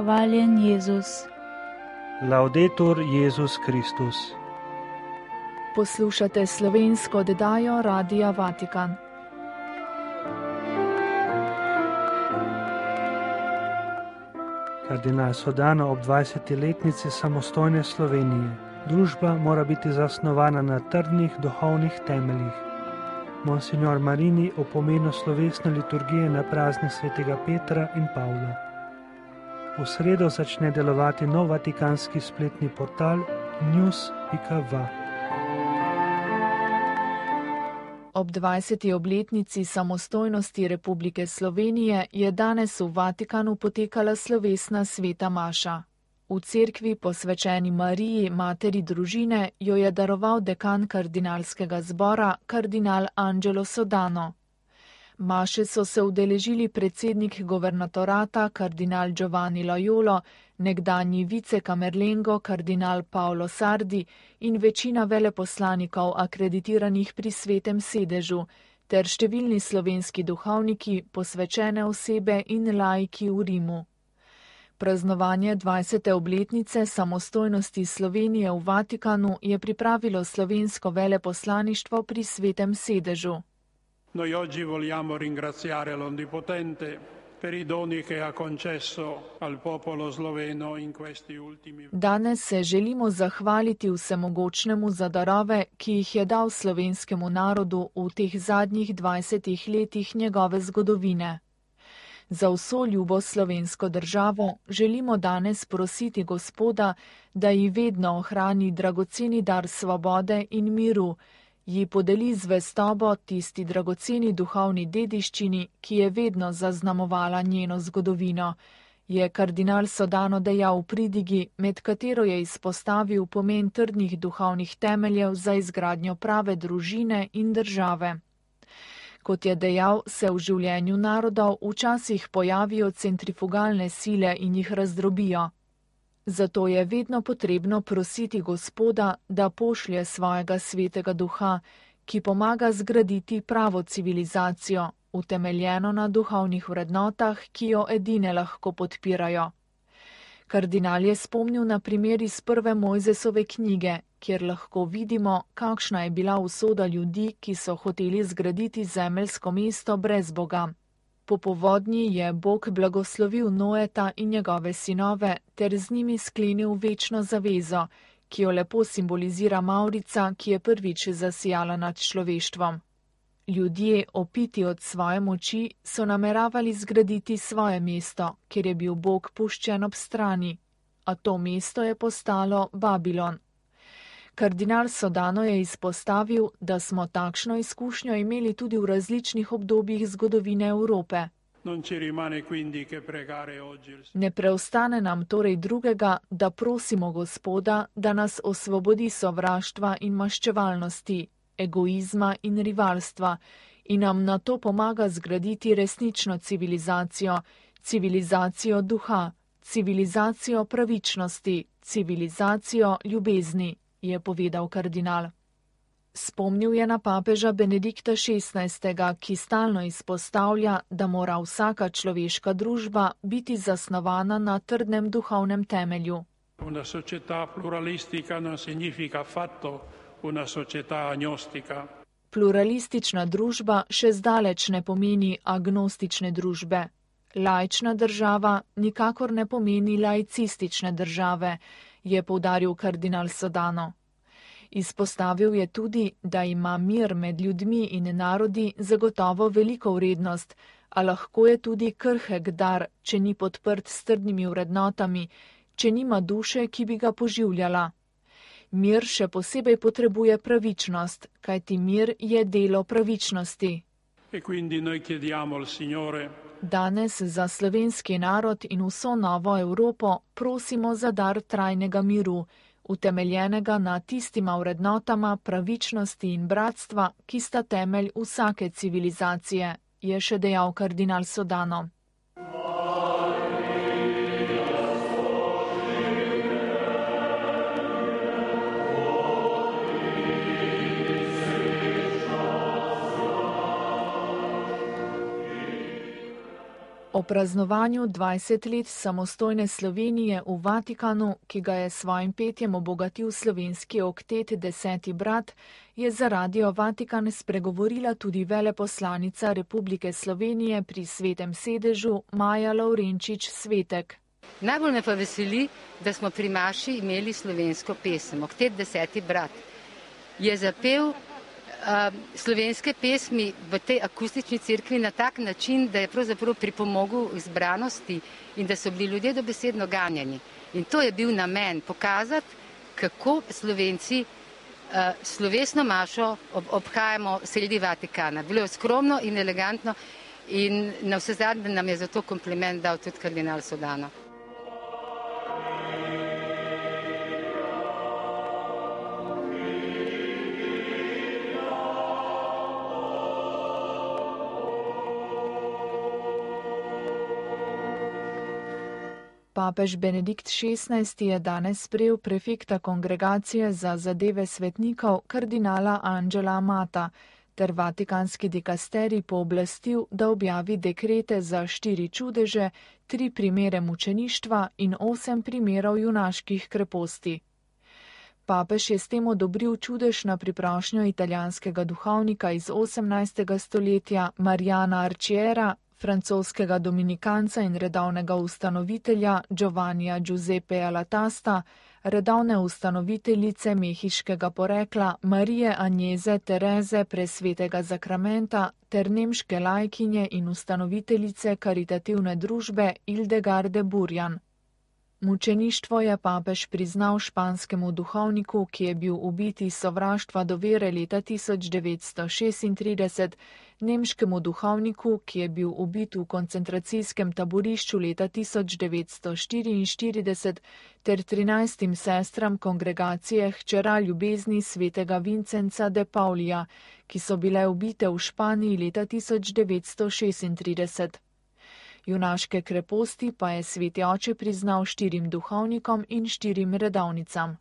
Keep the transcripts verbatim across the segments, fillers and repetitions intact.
Hvaljen Jezus. Laudetur Jezus Kristus. Poslušate slovensko oddajo Radia Vatikan. Kardinal Sodano ob dvajseti letnici samostojne Slovenije. Družba mora biti zasnovana na trdnih duhovnih temeljih. Monsignor Marini o pomenu slovesne liturgije na praznik svetega Petra in Pavla. V sredo začne delovati nov vatikanski spletni portal news pika va. Ob dvajseti obletnici samostojnosti Republike Slovenije je danes v Vatikanu potekala slovesna sveta maša. V cerkvi posvečeni Mariji, materi družine, jo je daroval dekan kardinalskega zbora, kardinal Angelo Sodano. Maše so se udeležili predsednik governatorata, kardinal Giovanni Loyola, nekdanji vicekamerlengo, kardinal Paolo Sardi in večina veleposlanikov akreditiranih pri svetem sedežu, ter številni slovenski duhovniki, posvečene osebe in laiki v Rimu. Praznovanje dvajsete obletnice samostojnosti Slovenije v Vatikanu je pripravilo slovensko veleposlaništvo pri svetem sedežu. Noi oggi vogliamo ringraziare l'Onnipotente per i doni che ha concesso al popolo sloveno in questi ultimi. Danes se želimo zahvaliti vsemogočnemu za darove, ki jih je dal slovenskemu narodu v teh zadnjih dvajsetih letih njegove zgodovine. Za vso ljubo slovensko državo želimo danes prositi Gospoda, da ji vedno ohrani dragoceni dar svobode in miru, ji podeli zvestobo tisti dragoceni duhovni dediščini, ki je vedno zaznamovala njeno zgodovino, je kardinal Sodano dejal v pridigi, med katero je izpostavil pomen trdnih duhovnih temeljev za izgradnjo prave družine in države. Kot je dejal, se v življenju narodov včasih pojavijo centrifugalne sile in jih razdrobijo. Zato je vedno potrebno prositi Gospoda, da pošlje svojega svetega duha, ki pomaga zgraditi pravo civilizacijo, utemeljeno na duhovnih vrednotah, ki jo edine lahko podpirajo. Kardinal je spomnil na primer iz prve Mojzesove knjige, kjer lahko vidimo, kakšna je bila usoda ljudi, ki so hoteli zgraditi zemeljsko mesto brez Boga. Po povodnji je Bog blagoslovil Noeta in njegove sinove ter z njimi sklenil večno zavezo, ki jo lepo simbolizira mavrica, ki je prvič zasijala nad človeštvom. Ljudje, opiti od svoje moči, so nameravali zgraditi svoje mesto, kjer je bil Bog puščen ob strani, a to mesto je postalo Babilon. Kardinal Sodano je izpostavil, da smo takšno izkušnjo imeli tudi v različnih obdobjih zgodovine Evrope. Ne preostane nam torej drugega, da prosimo Gospoda, da nas osvobodi sovraštva in maščevalnosti, egoizma in rivalstva in nam na to pomaga zgraditi resnično civilizacijo, civilizacijo duha, civilizacijo pravičnosti, civilizacijo ljubezni, je povedal kardinal. Spomnil je na papeža Benedikta šestnajstega, ki stalno izpostavlja, da mora vsaka človeška družba biti zasnovana na trdnem duhovnem temelju. Una società pluralistica non significa affatto una società agnostica. Pluralistična družba še zdaleč ne pomeni agnostične družbe. Laična država nikakor ne pomeni laicistične države, je poudaril kardinal Sodano. Izpostavil je tudi, da ima mir med ljudmi in narodi zagotovo veliko vrednost, a lahko je tudi krhek dar, če ni podprt s trdnimi vrednotami, če nima duše, ki bi ga poživljala. Mir še posebej potrebuje pravičnost, kajti mir je delo pravičnosti. E quindi noi chiediamo al Signore. Danes za slovenski narod in vso novo Evropo prosimo za dar trajnega miru, utemeljenega na tistima vrednotama pravičnosti in bratstva, ki sta temelj vsake civilizacije, je še dejal kardinal Sodano. O praznovanju dvajset let samostojne Slovenije v Vatikanu, ki ga je s svojim petjem obogatil slovenski oktet Deseti brat, je za Radio Vatikan spregovorila tudi veleposlanica Republike Slovenije pri Svetem sedežu Maja Lavrenčič Svetek. Najbolj me pa veseli, da smo pri maši imeli slovensko pesem. Oktet Deseti brat je zapel Uh, slovenske pesmi v tej akustični cerkvi na tak način, da je pravzaprav pripomogel izbranosti in da so bili ljudje dobesedno ganjeni. In to je bil namen, pokazati, kako Slovenci uh, slovesno mašo ob, obhajamo sredi Vatikana. Bilo je skromno in elegantno in na vse zadnje nam je za to kompliment dal tudi kardinal Sodano. Papež Benedikt šestnajsti je danes sprejel prefekta kongregacije za zadeve svetnikov kardinala Angela Amata ter vatikanski dikasterij pooblastil, da objavi dekrete za štiri čudeže, tri primere mučeništva in osem primerov junaških kreposti. Papež je s tem odobril čudež na priprošnjo italijanskega duhovnika iz osemnajstega stoletja Mariana Arciera, francoskega dominikanca in redovnega ustanovitelja Giovannija Giuseppea Latasta, redovne ustanoviteljice mehiškega porekla Marije Agnese Tereze Presvetega zakramenta ter nemške lajkinje in ustanoviteljice karitativne družbe Hildegarde Burjan. Mučeništvo je papež priznal španskemu duhovniku, ki je bil ubit iz sovraštva do vere leta tisoč devetsto šestintrideset, nemškemu duhovniku, ki je bil ubit v koncentracijskem taborišču leta tisoč devetsto štiriinštirideset, ter trinajstim sestram kongregacije Hčera ljubezni svetega Vincenca de Paulija, ki so bile ubite v Španiji leta tisoč devetsto šestintrideset. Junaške kreposti pa je sveti oče priznal štirim duhovnikom in štirim redovnicam.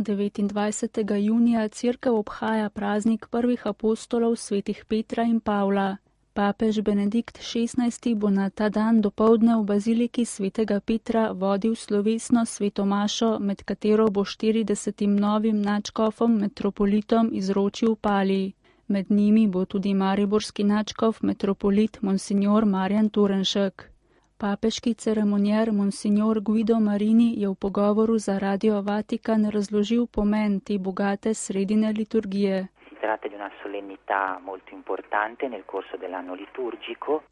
devetindvajsetega junija cerkev obhaja praznik prvih apostolov svetih Petra in Pavla. Papež Benedikt šestnajsti bo na ta dan dopoldne v baziliki svetega Petra vodil slovesno sveto mašo, med katero bo štiridesetim novim nadškofom metropolitom izročil palij. Med njimi bo tudi mariborski nadškof metropolit monsignor Marjan Turnšek. Papeški ceremonjer monsignor Guido Marini je v pogovoru za Radio Vatikan razložil pomen te bogate sredine liturgije.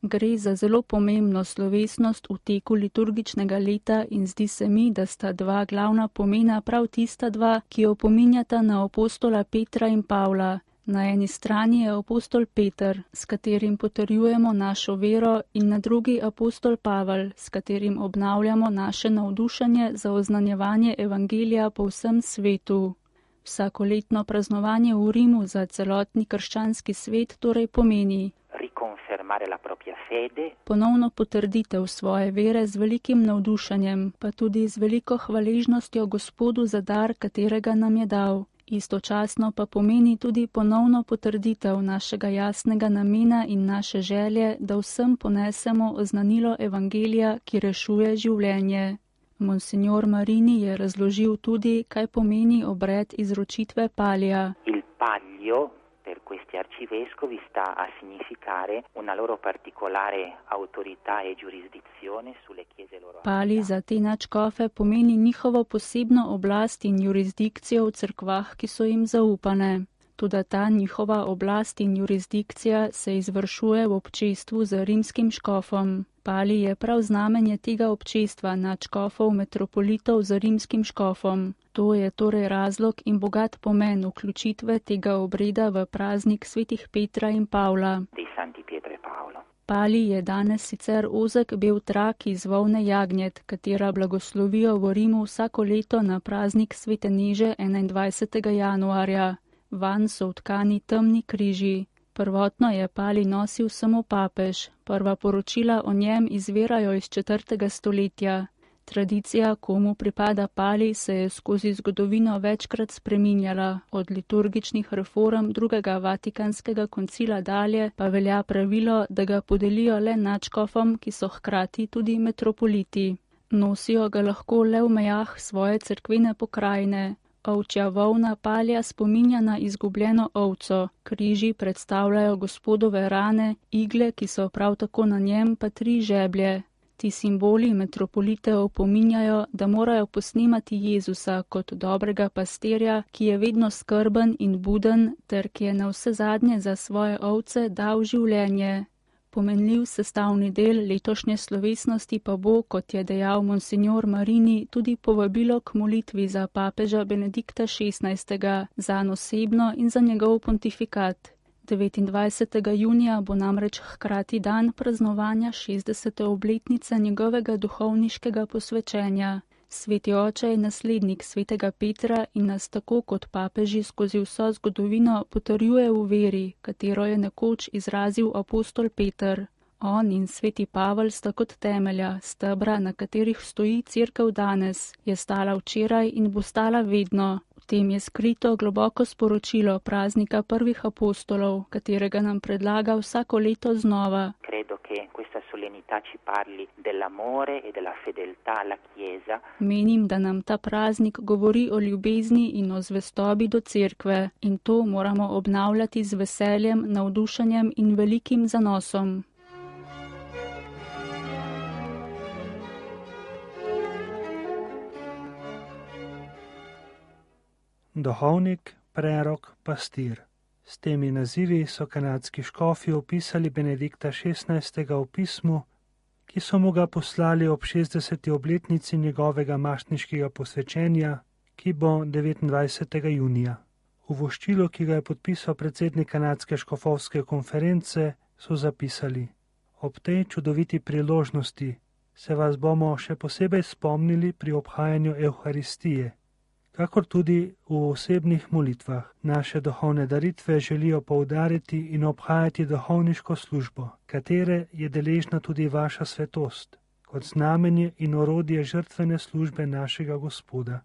Gre za zelo pomembno slovesnost v teku liturgičnega leta in zdi se mi, da sta dva glavna pomena prav tista dva, ki opominjata na apostola Petra in Pavla. Na eni strani je apostol Peter, s katerim potrjujemo našo vero, in na drugi apostol Pavel, s katerim obnavljamo naše navdušenje za oznanjevanje evangelija po vsem svetu. Vsakoletno praznovanje v Rimu za celotni krščanski svet torej pomeni ponovno potrditev svoje vere z velikim navdušenjem, pa tudi z veliko hvaležnostjo Gospodu za dar, katerega nam je dal. Istočasno pa pomeni tudi ponovno potrditev našega jasnega namena in naše želje, da vsem ponesemo oznanilo evangelija, ki rešuje življenje. Monsignor Marini je razložil tudi, kaj pomeni obred izročitve palija. Il palio per questi arcivescovi sta a significare una loro particolare autorità e giurisdizione sulle chiese loro. Pali za te nadškofe pomeni njihovo posebno oblast in jurisdikcijo v cerkvah, ki so jim zaupane. Toda ta njihova oblast in jurisdikcija se izvršuje v občestvu z rimskim škofom. Pali je prav znamenje tega občestva nadškofov metropolitov z rimskim škofom. To je torej razlog in bogat pomen vključitve tega obreda v praznik svetih Petra in Pavla. Pali je danes sicer ozek bel trak iz volne jagnjet, katera blagoslovijo v Rimu vsako leto na praznik svete Neže enaindvajsetega januarja. Vanj so vtkani temni križi. Prvotno je pali nosil samo papež. Prva poročila o njem izvirajo iz četrtega stoletja. Tradicija, komu pripada pali, se je skozi zgodovino večkrat spreminjala. Od liturgičnih reform drugega vatikanskega koncila dalje pa velja pravilo, da ga podelijo le nadškofom, ki so hkrati tudi metropoliti. Nosijo ga lahko le v mejah svoje cerkvene pokrajine. Ovčja volna palja spominja na izgubljeno ovco, križi predstavljajo Gospodove rane, igle, ki so prav tako na njem, pa tri žeblje. Ti simboli metropolite opominjajo, da morajo posnemati Jezusa kot dobrega pastirja, ki je vedno skrben in buden, ter ki je navsezadnje za svoje ovce dal življenje. Pomenljiv sestavni del letošnje slovesnosti pa bo, kot je dejal monsignor Marini, tudi povabilo k molitvi za papeža Benedikta šestnajstega, zanj osebno in za njegov pontifikat. devetindvajsetega junija bo namreč hkrati dan praznovanja šestdesete obletnice njegovega duhovniškega posvečenja. Sveti oče je naslednik svetega Petra in nas tako kot papeži skozi vso zgodovino potrjuje v veri, katero je nekoč izrazil apostol Peter. On in sveti Pavel sta kot temelja, stebra, na katerih stoji cerkev danes, je stala včeraj in bo stala vedno. V tem je skrito globoko sporočilo praznika prvih apostolov, katerega nam predlaga vsako leto znova. Menim, da nam ta praznik govori o ljubezni in o zvestobi do cerkve in to moramo obnavljati z veseljem, navdušenjem in velikim zanosom. Duhovnik, prerok, pastir. S temi nazivi so kanadski škofi opisali Benedikta šestnajstega v pismu, ki so mu ga poslali ob šestdeseti obletnici njegovega mašniškega posvečenja, ki bo devetindvajsetega junija. V voščilu, ki ga je podpisal predsednik kanadske škofovske konference, so zapisali: Ob tej čudoviti priložnosti se vas bomo še posebej spomnili pri obhajanju Evharistije, kakor tudi v osebnih molitvah. Naše duhovne daritve želijo poudariti in obhajati duhovniško službo, katere je deležna tudi vaša svetost, kot znamenje in orodje žrtvene službe našega Gospoda.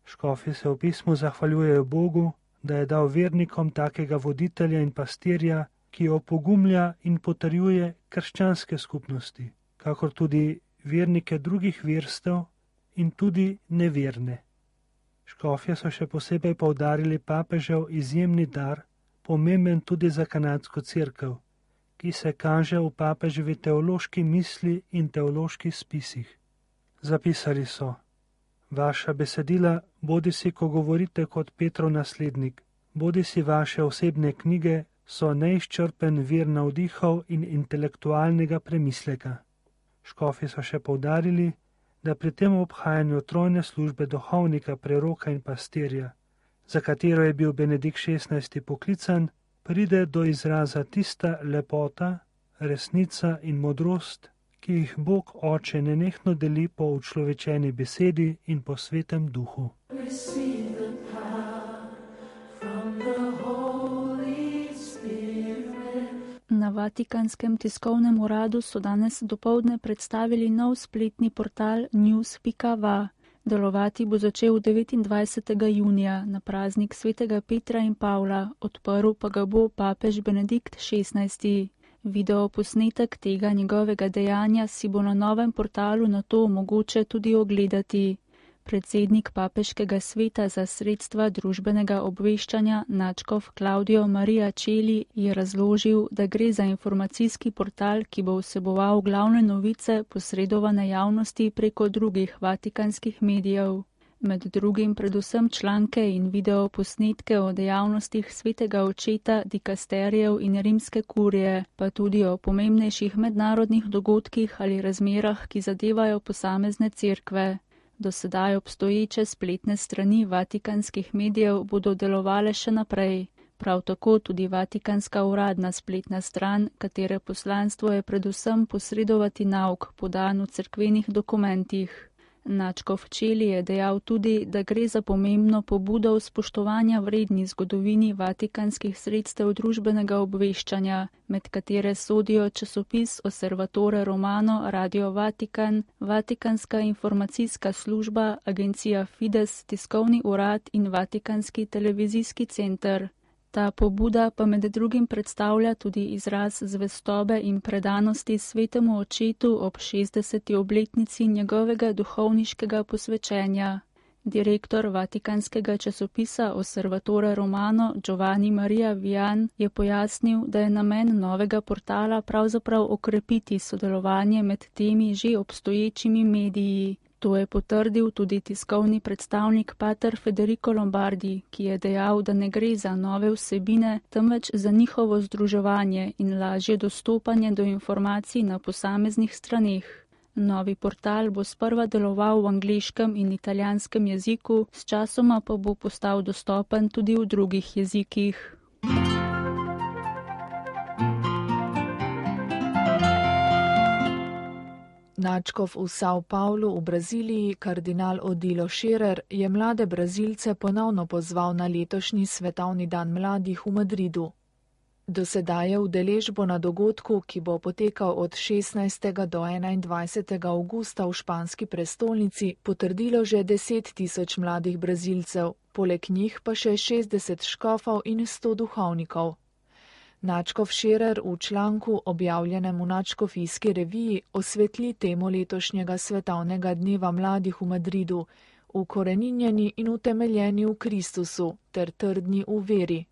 Škofi se v pismu zahvaljujejo Bogu, da je dal vernikom takega voditelja in pastirja, ki opogumlja in potrjuje krščanske skupnosti, kakor tudi vernike drugih verstev in tudi neverne. Škofje so še posebej poudarili papežev izjemni dar, pomemben tudi za kanadsko cerkev, ki se kaže v papeževi teološki misli in teoloških spisih. Zapisali so: Vaša besedila, bodi si, ko govorite kot Petrov naslednik, bodi si vaše osebne knjige, so neizčrpen vir navdihov in intelektualnega premisleka. Škofi so še poudarili, da pri tem obhajanju trojne službe duhovnika, preroka in pastirja, za katero je bil Benedikt šestnajsti poklican, pride do izraza tista lepota, resnica in modrost, ki jih Bog Oče nenehno deli po učlovečeni besedi in po svetem duhu. Na Vatikanskem tiskovnem uradu so danes dopoldne predstavili nov spletni portal news pika va. Delovati bo začel devetindvajsetega junija na praznik svetega Petra in Pavla, odprl pa ga bo papež Benedikt šestnajsti. Video posnetek tega njegovega dejanja si bo na novem portalu nato mogoče tudi ogledati. Predsednik papeškega sveta za sredstva družbenega obveščanja nadškof Claudio Maria Celi je razložil, da gre za informacijski portal, ki bo vseboval glavne novice posredovane javnosti preko drugih vatikanskih medijev. Med drugim predvsem članke in video posnetke o dejavnostih svetega očeta, dikasterijev in rimske kurije, pa tudi o pomembnejših mednarodnih dogodkih ali razmerah, ki zadevajo posamezne cerkve. Do sedaj obstoječe spletne strani vatikanskih medijev bodo delovale še naprej. Prav tako tudi vatikanska uradna spletna stran, katere poslanstvo je predvsem posredovati nauk podan v cerkvenih dokumentih. Načkov Čeli je dejal tudi, da gre za pomembno pobudo v spoštovanja vredni zgodovini vatikanskih sredstev družbenega obveščanja, med katere sodijo časopis Osservatore Romano, Radio Vatikan, Vatikanska informacijska služba, agencija Fides, tiskovni urad in Vatikanski televizijski center. Ta pobuda pa med drugim predstavlja tudi izraz zvestobe in predanosti svetemu očetu ob šestdeseti obletnici njegovega duhovniškega posvečenja. Direktor vatikanskega časopisa Osservatore Romano Giovanni Maria Vian je pojasnil, da je namen novega portala pravzaprav okrepiti sodelovanje med temi že obstoječimi mediji. To je potrdil tudi tiskovni predstavnik pater Federico Lombardi, ki je dejal, da ne gre za nove vsebine, temveč za njihovo združevanje in lažje dostopanje do informacij na posameznih straneh. Novi portal bo sprva deloval v angleškem in italijanskem jeziku, sčasoma pa bo postal dostopen tudi v drugih jezikih. Načkov v São Paulo v Braziliji, kardinal Odilo Scherer, je mlade Brazilce ponovno pozval na letošnji svetovni dan mladih v Madridu. Do sedaj je udeležbo na dogodku, ki bo potekal od šestnajstega do enaindvajsetega avgusta v španski prestolnici, potrdilo že deset tisoč mladih Brazilcev, poleg njih pa še šestdeset škofov in sto duhovnikov. Načkov Scherer v članku, objavljenem v Načkofijski reviji, osvetli temo letošnjega svetovnega dneva mladih v Madridu, ukoreninjeni in utemeljeni v Kristusu ter trdni v veri.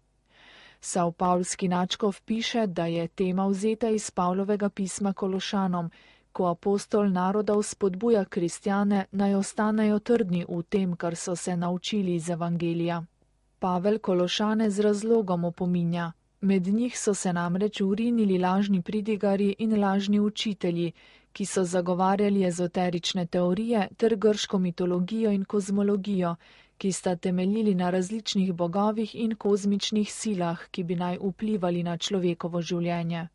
Savpavlski Načkov piše, da je tema vzeta iz Pavlovega pisma Kološanom, ko apostol narodov spodbuja kristjane, naj ostanejo trdni v tem, kar so se naučili iz evangelija. Pavel Kološane z razlogom opominja. Med njih so se namreč urinili lažni pridigari in lažni učitelji, ki so zagovarjali ezoterične teorije ter grško mitologijo in kozmologijo, ki sta temeljili na različnih bogovih in kozmičnih silah, ki bi naj vplivali na človekovo življenje.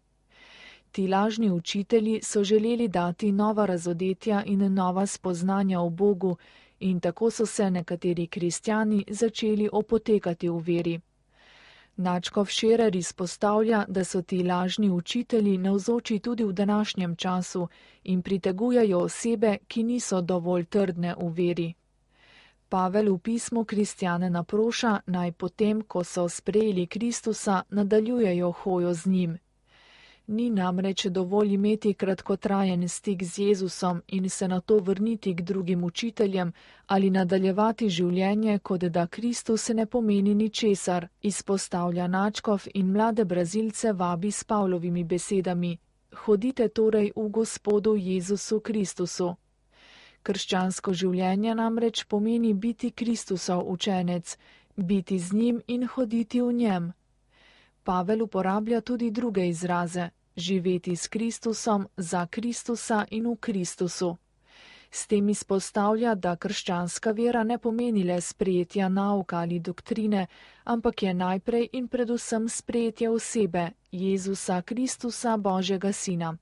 Ti lažni učitelji so želeli dati nova razodetja in nova spoznanja o Bogu in tako so se nekateri kristjani začeli opotekati v veri. Načkov Scherer izpostavlja, da so ti lažni učitelji navzoči tudi v današnjem času in pritegujejo osebe, ki niso dovolj trdne v veri. Pavel v pismu kristjane naproša, naj potem, ko so sprejeli Kristusa, nadaljujejo hojo z njim. Ni namreč dovolj imeti kratkotrajen stik z Jezusom in se nato vrniti k drugim učiteljem ali nadaljevati življenje, kot da Kristus ne pomeni ničesar, izpostavlja Načkov in mlade Brazilce vabi s Pavlovimi besedami: Hodite torej v Gospodu Jezusu Kristusu. Krščansko življenje namreč pomeni biti Kristusov učenec, biti z njim in hoditi v njem. Pavel uporablja tudi druge izraze: živeti s Kristusom, za Kristusa in v Kristusu. S tem izpostavlja, da krščanska vera ne pomeni le sprejetja nauka ali doktrine, ampak je najprej in predvsem sprejetje osebe, Jezusa Kristusa, Božjega Sina.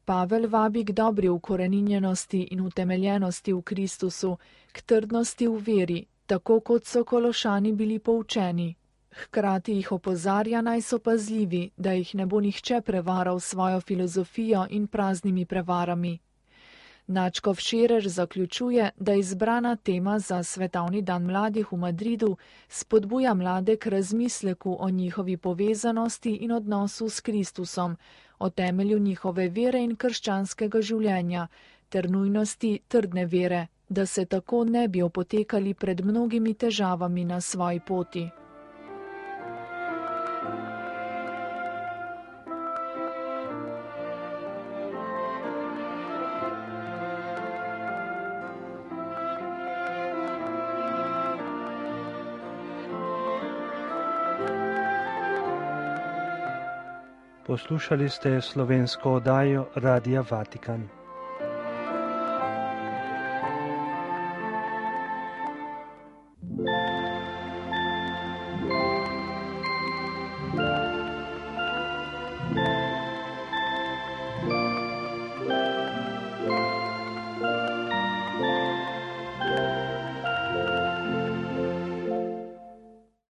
Pavel vabi k dobri ukoreninjenosti in utemeljenosti v Kristusu, k trdnosti v veri, tako kot so Kološani bili poučeni. Hkrati jih opozarja, naj so pazljivi, da jih ne bo nihče prevaral svojo filozofijo in praznimi prevarami. Načkov Scherer zaključuje, da izbrana tema za svetovni dan mladih v Madridu spodbuja mlade k razmisleku o njihovi povezanosti in odnosu s Kristusom, o temelju njihove vere in krščanskega življenja, ter nujnosti trdne vere, da se tako ne bi opotekali pred mnogimi težavami na svoji poti. Poslušali ste slovensko oddajo Radia Vatikan.